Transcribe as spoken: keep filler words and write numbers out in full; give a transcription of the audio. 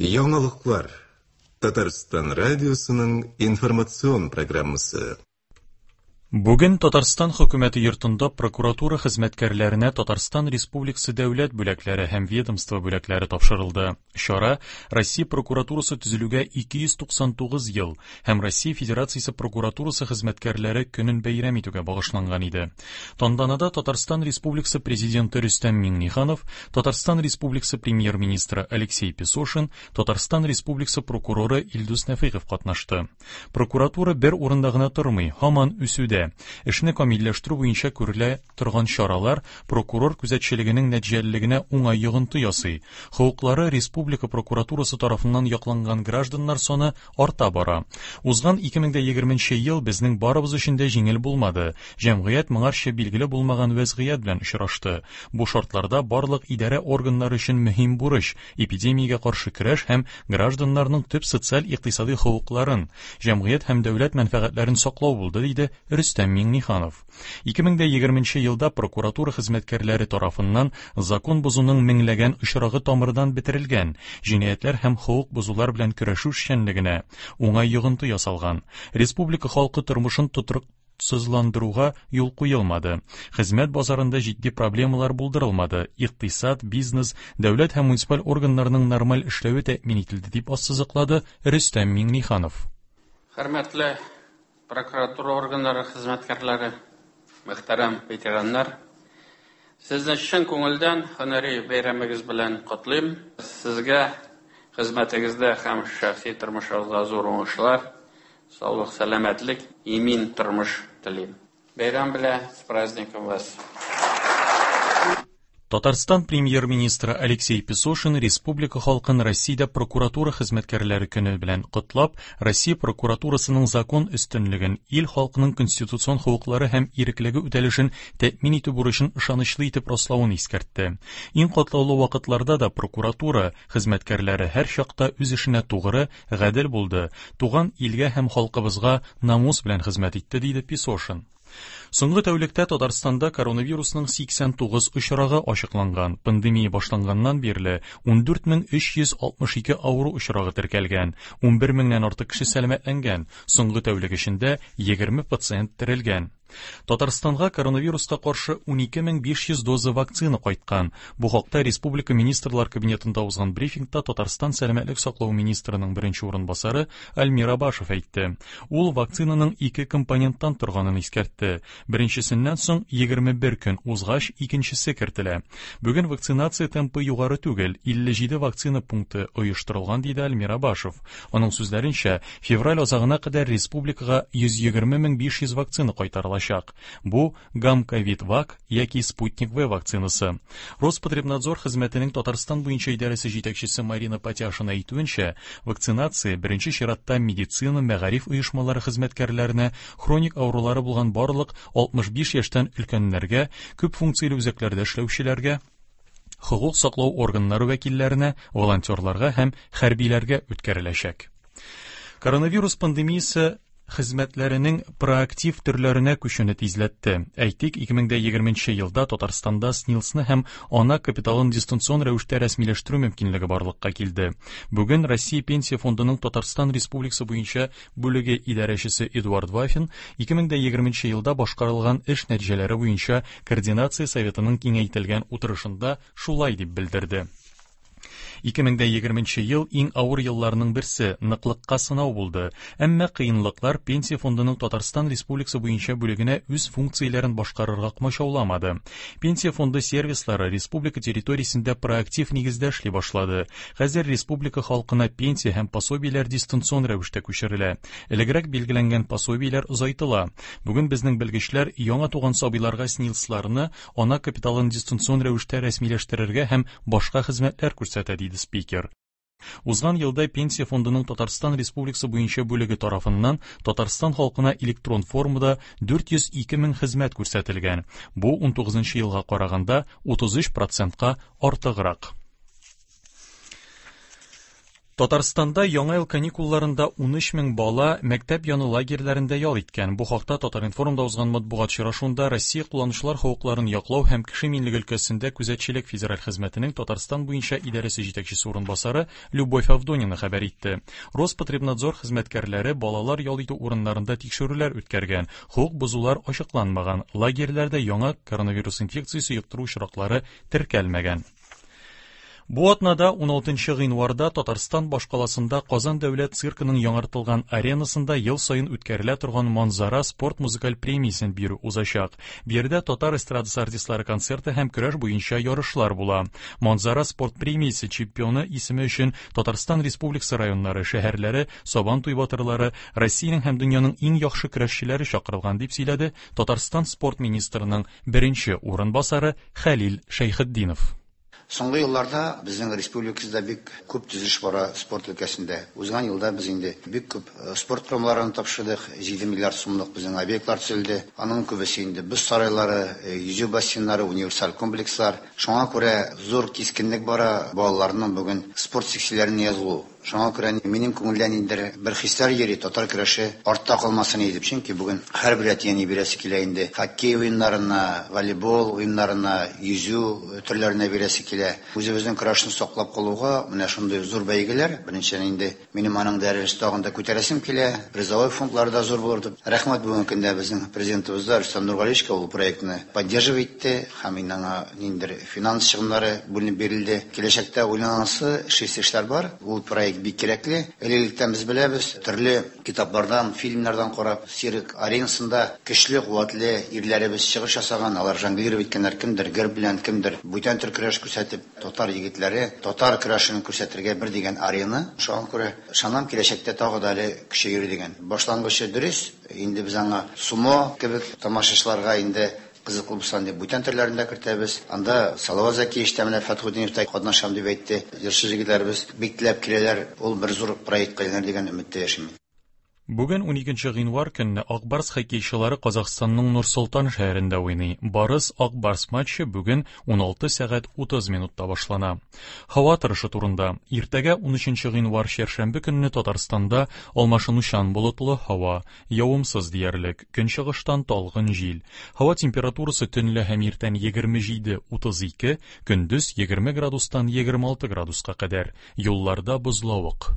Яңалыклар. Татарстан радиосының информацион программасы. Бүген Татарстан хөкүмәте йортында прокуратура хезмәткәрләренә Татарстан Республикасы дәүләт бүләкләре һәм ведомство бүләкләре тапшырылды. Чара Россия прокуратурасы төзелүгә ике йөз туксан тугыз ел һәм Россия Федерациясе прокуратурасы хезмәткәрләре көнен бәйрәм итүгә багышланган иде. Тантанада Татарстан Республикасы президенты Рөстәм Миңнеханов, Татарстан Республикасы премьер-министры Алексей Песошин, Татарстан Республикасы прокуроры Илдус Нәфыйков катнашты. Прокуратура бер урында гына тормый, һаман үсүдә. Эшне камилләштерү буенча күрелә торган чаралар прокурор күзәтчелегенең нәтиҗәлелегенә уңай йогынты ясый. Хокуклары республика прокуратурасы тарафыннан якланган гражданнар саны арта бара. Узган ике мең дә егерменче ел безнең барыбыз өчен дә җиңел булмады. Җәмгыять моңарча билгеле булмаган вәзгыять белән очрашты. Бу шартларда барлык идарә органнары өчен мөһим бурыч эпидемиягә каршы көрәш һәм гражданнарның төп социаль-икътисади хокукларын, җәмгыять һәм дәүләт мәнфәгатьләрен саклау булды, диде Рөстәм Миңнеханов. Ике мең дә егерменче елда прокуратура хезмәткәрләре тарафыннан закон бозуның меңләгән очрагы тамырдан бетерелгән, җинаятьләр һәм хокук бозулар белән көрәшү эшчәнлегенә уңай йогынты ясалган. Республика халкы тормышын тотрыксызландыруга юл куелмады. Хезмәт базарында җитди проблемалар булдырылмады. Икътисад, бизнес, дәүләт һәм муниципаль органнарның нормаль эшләве тәэмин ителде, дип ассызыклады Рөстәм Миңнеханов. Хөрмәтле прокуратура органнары хезмәткәрләре, мөхтәрәм ветераннар, сезне чын күңелдән һөнәри бәйрәмегез белән котлыйм. Сезгә хезмәтегездә һәм шәхси тормышыгызда зур уңышлар, саулык, сәламәтлек, имин тормыш телим. Бәйрәм белән, с праздником вас! Татарстан премьер-министры Алексей Песошин республика халкын Россиядә прокуратура хезмәткәрләре көне белән котлап, Россия прокуратурасының закон өстенлеген, ил халкының конституцион хокуклары һәм иреклеге үтәлешен тәэмин итү бурычын ышанычлы итеп раславын искәртте. Иң катлаулы вакытларда да прокуратура хезмәткәрләре һәр чакта үз эшенә тугры, гадел булды, туган илгә һәм халкыбызга намус белән хезмәт итте, диде Песошин. Соңгы тәүлектә Татарстанда коронавирусның сиксән тугыз очрагы ачыкланган. Пандемия башланганнан бирле ун дүрт мең өч йөз алтмыш ике авыру очрагы теркәлгән, ун бер меңнән артык кеше сәламәтләнгән. Соңгы тәүлек эчендә егерме пациент терелгән. Татарстанга коронавируска каршы ун ике мең биш йөз доза вакцина кайткан. Бу хакта Республика Министрлар Кабинетында узган брифингта Татарстан сәламәтлек саклау министрының беренче урынбасары Альмир Абашев әйтте. Ул вакцинаның ике компоненттан торганын искәртте. Беренчесеннән соң егерме бер көн узгач икенчесе кертелә. Бүген вакцинация темпы югары түгел, илле җиде вакцина пункты оештырылган, диде Альмир Абашев. Аның сүзләренчә, февраль азагына кадәр республикага йөз егерме мең биш йөз вакцина кайтарылачак. Бу Гамковид-Вак яки Спутник В вакцинасы. Роспотребнадзор хезмәтенең Татарстан буенча идарәсе җитәкчесе Марина Патяшина әйтүенчә, вакцинация беренче чиратта медицина, мәгариф оешмалары хезмәткәрләренә, хроник авырулары булган барлык алтмыш биш яшьтән өлкәннәргә, күп функцияле үзәкләрдә эшләүчеләргә, хокук саклау органнары вәкилләренә, волонтерларга һәм хәрбиләргә үткәреләчәк. Коронавирус пандемиясе хезмәтләренең проактив төрләренә күчүне тизләтте. Әйтик, ике мең дә егерменче елда Татарстанда СНИЛСны һәм ана капиталын дистанцион рәвештә рәсмиләштерү мөмкинлеге барлыкка килде. Бүген Россия Пенсия фондының Татарстан Республикасы буенча бүлеге идарәчесе Эдуард Вафин ике мең дә егерменче елда башкарылган эш нәтиҗәләре буенча Координация советының киңәйтелгән утырышында шулай дип белдерде. Ике мең дә егерменче ел иң авыр елларның берсе, ныклыкка сынау булды. Әмма кыенлыклар Пенсия фондының Татарстан Республикасы буенча бүлегенә үз функцияләрен башкарырга комачауламады. Пенсия фонды сервислары республика территориясендә проактив нигездә эшли башлады. Хәзер республика халкына пенсия һәм пособиеләр дистанцион рәвештә күчерелә. Элегрәк билгеләнгән пособиеләр озайтыла. Бүген безнең белгечләр яңа туган сабыйларга СНИЛСларны, ана капиталын дистанцион рәвештә рәсмиләштерергә һәм башка хезмәтләр күрсәтә, диде спикер. Узган елда Пенсия фондының Татарстан Республикасы буенча бүлеге тарафыннан Татарстан халкына электрон формада дүрт йөз ике мең хезмәт күрсәтелгән. Бу ун тугызынчы елга караганда утыз өч процентка артыграк. Татарстанда яңа ел каникулларында ун өч мең бала мәктәп яны лагерьләрендә ял иткән. Бу хакта Татар-информда узган матбугат очрашуында Россия кулланучылар хокукларын яклау һәм кеше иминлеге өлкәсендә күзәтчелек федераль хезмәтенең Татарстан буенча идарәсе җитәкчесе урынбасары Любовь Авдонина хәбәр итте. Роспотребнадзор хезмәткәрләре балалар ял итү урыннарында тикшерүләр үткәргән. Хокук бозулар ачыкланмаган. Лагерьләрдә яңа коронавирус инфекциясе йоктыру очраклары теркәлмәгән. Бу атнада уналтынчы гыйнварда Татарстан башкаласында Казан дәүләт циркының яңартылган аренасында ел саен үткәрелә торган Манзара спорт музыкаль премиясен бирү узачак. Биредә татар эстрадасы артистлары концерты һәм көрәш буенча ярышлар була. Манзара спорт премиясе чемпионы исеме өчен Татарстан Республикасы районнары, шәһәрләре, Сабан туй батырлары, Россиянең һәм дөньяның иң яхшы көрәшчеләре чакырылган, дип сөйләде Татарстан спорт министрының беренче урынбасары Хәлил Шәйхетдинов. Соңгы елларда безнең республикабызда бик күп төзелеш бара спорт өлкәсендә. Узган елда без инде бик күп спорт корылмаларын тапшырдык, җиде миллиард сумлык безнең объектлар төзелде. Аның күбесе инде боз сарайлары, йөзү бассейннары, универсаль комплекслар. Шуңа күрә зур кискенлек бара балаларның бүген спорт секцияләренә язылу. Шуңа күрә минем күңелдән инде бер хисләр йөри, татар көрәше артта калмасын иде. Чөнки бүген һәрбер әти-әни бирәсе килә инде. Хоккей уеннарына, волейбол уеннарына, йөзү төрләренә бирәсе килә. Үзебезнең көрәшне саклап калуга менә шундый зур бәйгеләр. Беренчедән инде минем аның дәрәҗәсен тагын да күтәрәсем килә. Призовой фондлары да зур булыр дип. Рәхмәт бүгенге көндә безнең президентыбыз Рөстәм Нургалиевичка, ул проектны поддерживать итте һәм инде аңа ниндидер финанс чыгымнары бүленеп бирелде. Киләчәктә уйланасы эшлисе эшләр бар. Ул проект бик кирәкле. Элек-электән без беләбез, төрле китаплардан, фильмнардан карап, цирк аренасында көчле, куәтле ирләребез чыгыш ясаган, алар жонглировать иткәннәр, кемдер гер белән, кемдер бүтән төр көрәш күрсәтеп, татар егетләре татар көрәшен күрсәтергә бер дигән арена. Шуңа күрә ышанам, киләчәктә тагы да әле көчәер дигән. Башлангычы дөрес, инде без аңа сумо кебек тамашачыларга инде кызыклы булсын дип бүтән төрләрен дә кертәбез. Анда Салават Зәкиевич та, менә Фәтхетдинов та катнашам дип әйтте. Җырчы егетләребез бик теләп киләләр. Ул бер зур проектка әйләнер дигән өметтә яшим. Бүген уникенче гыйнвар көнне Ак Барс хоккейчылары Казахстанның Нур-Солтан шәһәрендә уйный. Барыс Ак Барс матчы бүген уналты сәгать утыз минутта башлана. Һава торышы турында. Иртәгә унөченче гыйнвар чәршәмбе көнне Татарстанда алмашынучан болытлы һава, явымсыз диярлек, көнчыгыштан талгын җил. Һава температурасы төнлә һәм иртән егерме җиде утыз ике, көндез егерме градустан егерме алты градуска кадәр. Юлларда бозлавык.